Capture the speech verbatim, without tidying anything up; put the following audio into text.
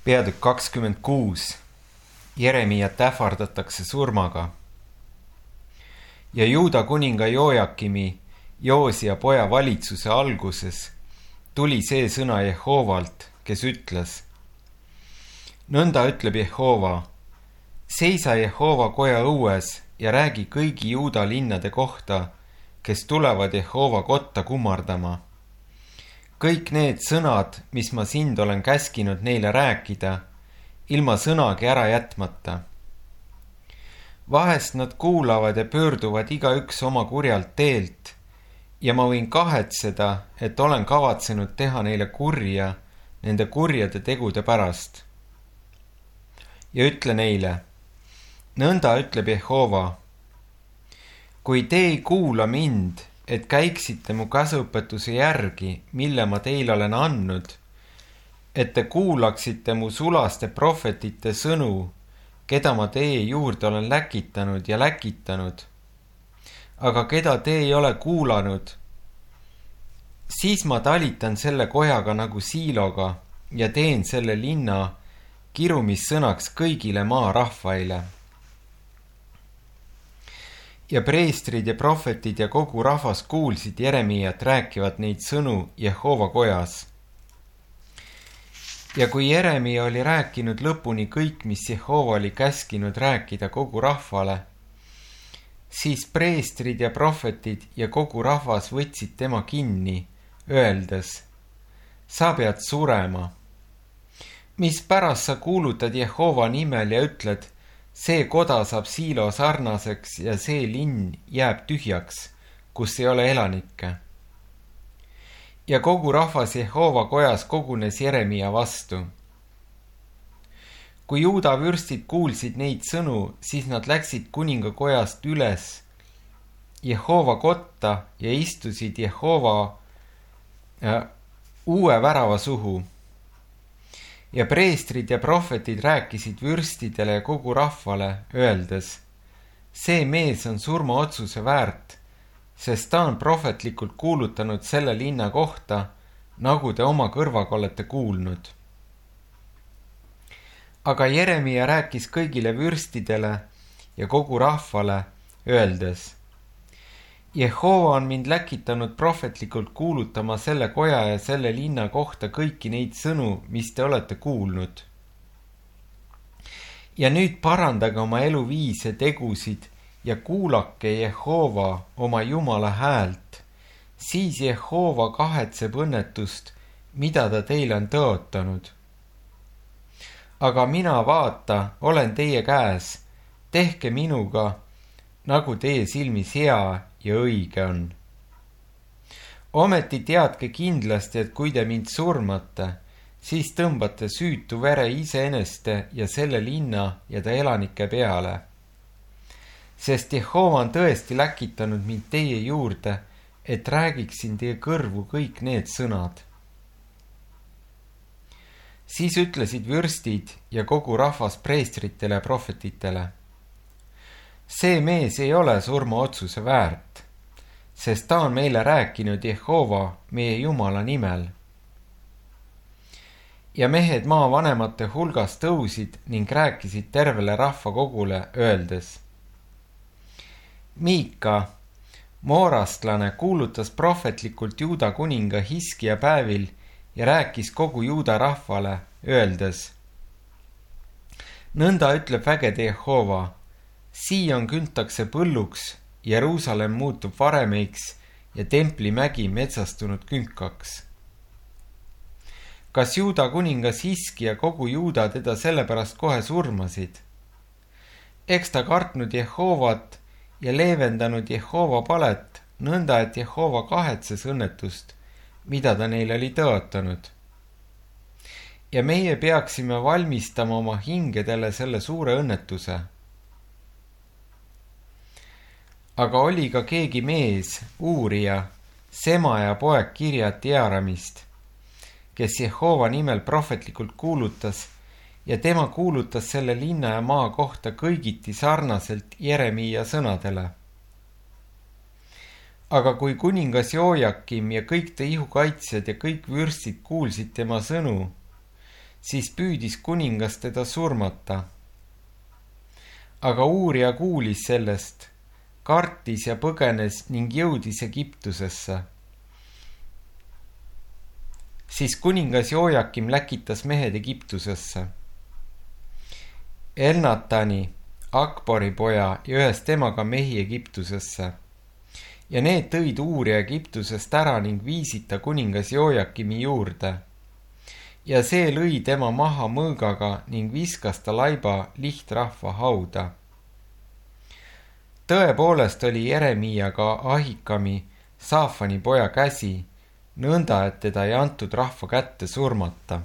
Peatükk kakskümmend kuus. Jeremiat ähvardatakse surmaga. Ja Juuda kuninga Jojakimi, Joosia poja valitsuse alguses tuli see sõna Jehovalt, kes ütles: nõnda ütleb Jehova, seisa Jehova koja õues ja räägi kõigi Juuda linnade kohta, kes tulevad Jehova kotta kummardama. Kõik need sõnad, mis ma sind olen käskinud neile rääkida, ilma sõnagi ära jätmata. Vahest nad kuulavad ja pöörduvad igaüks oma kurjalt teelt ja ma võin kahetseda, et olen kavatsenud teha neile kurja nende kurjade tegude pärast. Ja ütle neile: nõnda ütleb Jehova, kui te ei kuula mind, et käiksite mu käsuõpetuse järgi, mille ma teile olen andnud, et te kuulaksite mu sulaste prohvetite sõnu, keda ma teie juurde olen läkitanud ja läkitanud, aga keda te ei ole kuulanud, siis ma talitan selle kojaga nagu siiloga ja teen selle linna kirumissõnaks kõigile maa rahvaile. Ja preestrid ja prohvetid ja kogu rahvas kuulsid Jeremiat rääkivat neid sõnu Jehova kojas. Ja kui Jeremia oli rääkinud lõpuni kõik, mis Jehova oli käskinud rääkida kogu rahvale, siis preestrid ja prohvetid ja kogu rahvas võtsid tema kinni, öeldes: sa pead surema. Mispärast sa kuulutad Jehova nimel ja ütled: see koda saab siilo sarnaseks ja see linn jääb tühjaks, kus ei ole elanikke. Ja kogu rahvas Jehova kojas kogunes Jeremia vastu. Kui Juuda vürstid kuulsid neid sõnu, siis nad läksid kuningakojast üles Jehova kotta ja istusid Jehova äh, uue värava suhu. Ja preestrid ja prohvetid rääkisid vürstidele ja kogu rahvale, öeldes: see mees on surmaotsuse väärt, sest ta on prohvetlikult kuulutanud selle linna kohta, nagu te oma kõrvaga olete kuulnud. Aga Jeremia rääkis kõigile vürstidele ja kogu rahvale, öeldes: Jehova on mind läkitanud prohvetlikult kuulutama selle koja ja selle linna kohta kõiki neid sõnu, mis te olete kuulnud. Ja nüüd parandage oma eluviise tegusid ja kuulake Jehova oma Jumala häält, siis Jehova kahetseb õnnetust, mida ta teile on tõotanud. Aga mina, vaata, olen teie käes, tehke minuga, nagu teie silmis hea ja õige on. Ometi teadke kindlasti, et kui te mind surmate, siis tõmbate süütu vere iseeneste ja selle linna ja ta elanike peale. Sest Jehova on tõesti läkitanud mind teie juurde, et räägiksin teie kõrvu kõik need sõnad. Siis ütlesid vürstid ja kogu rahvas preestritele ja prohvetitele: see mees ei ole surmaotsuse väärt, sest ta on meile rääkinud Jehova meie Jumala nimel. Ja mehed maavanemate hulgas tõusid ning rääkisid tervele rahvakogule, öeldes: Miika, moorastlane, kuulutas prohvetlikult Juuda kuninga Hiskia päevil ja rääkis kogu Juuda rahvale, öeldes: nõnda ütleb vägede Jehova, Sion küntakse põlluks, Jeruusalemm muutub varemeiks ja templimägi metsastunud künkaks. Kas Juuda kuningas Hiski ja kogu Juuda teda sellepärast kohe surmasid? Eks ta kartnud Jehovat ja leevendanud Jehova palet, nõnda et Jehova kahetses õnnetust, mida ta neile oli tõotanud. Ja meie peaksime valmistama oma hingedele selle suure õnnetuse. Aga oli ka keegi mees, uurija, Semaja poeg Kirjat Jearamist, kes Jehova nimel prohvetlikult kuulutas ja tema kuulutas selle linna ja maa kohta kõigiti sarnaselt Jeremia sõnadele. Aga kui kuningas Jojakim ja kõik ta ihukaitsjad ja kõik vürstid kuulsid tema sõnu, siis püüdis kuningas teda surmata. Aga uurija kuulis sellest, kartis ja põgenes ning jõudis Egiptusesse. Siis kuningas Joakim läkitas mehed Egiptusesse. Elnatani, Akbori poja ja ühes temaga mehi Egiptusesse. Ja need tõid uurija Egiptusest ära ning viisid ta kuningas Joakimi juurde. Ja see lõi tema maha mõõgaga ning viskas ta laiba lihtrahva hauda. Tõepoolest oli Jeremiaga Ahikami, Saafani poja käsi, nõnda, et teda ei antud rahva kätte surmata.